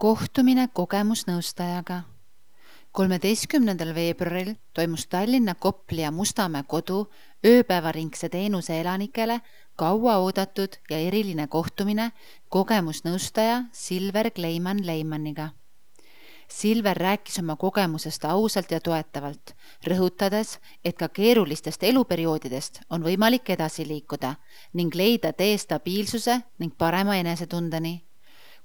Kohtumine kogemusnõustajaga. 13. veebruaril toimus Tallinna Kopli ja Mustamäe kodu ööpäevaringse teenuse elanikele kaua oodatud ja eriline kohtumine kogemusnõustaja Silver Kleiman-Leimanniga. Silver rääkis oma kogemusest ausalt ja toetavalt, rõhutades, et ka keerulistest eluperioodidest on võimalik edasi liikuda ning leida tee stabiilsuse ning parema enesetundeni.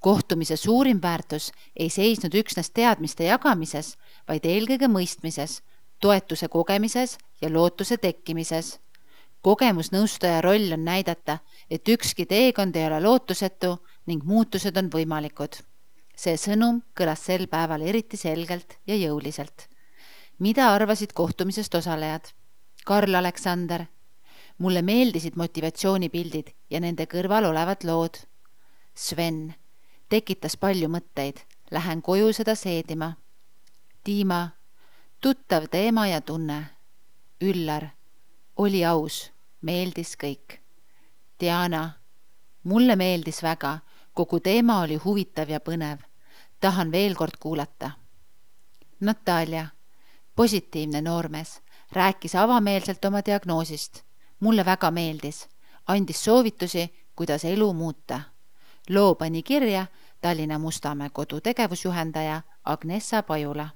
Kohtumise suurim väärtus ei seisnud üksnes teadmiste jagamises, vaid eelkõige mõistmises, toetuse kogemises ja lootuse tekkimises. Kogemusnõustaja roll on näidata, et ükski teekond ei ole lootusetu ning muutused on võimalikud. See sõnum kõlas sel päeval eriti selgelt ja jõuliselt. Mida arvasid kohtumisest osalejad? Karl Aleksander. Mulle meeldisid motivatsioonipildid ja nende kõrval olevad lood. Sven. Tekitas palju mõtteid. Lähen koju seda seedima. Tiima. Tuttav teema ja tunne. Üllar. Oli aus. Meeldis kõik. Diana. Mulle meeldis väga. Kogu teema oli huvitav ja põnev. Tahan veel kord kuulata. Natalja. Positiivne noormees. Rääkis avameelselt oma diagnoosist. Mulle väga meeldis. Andis soovitusi, kuidas elu muuta. Loo pani kirja Tallinna Mustamäe kodu tegevusjuhendaja Agnessa Pajula.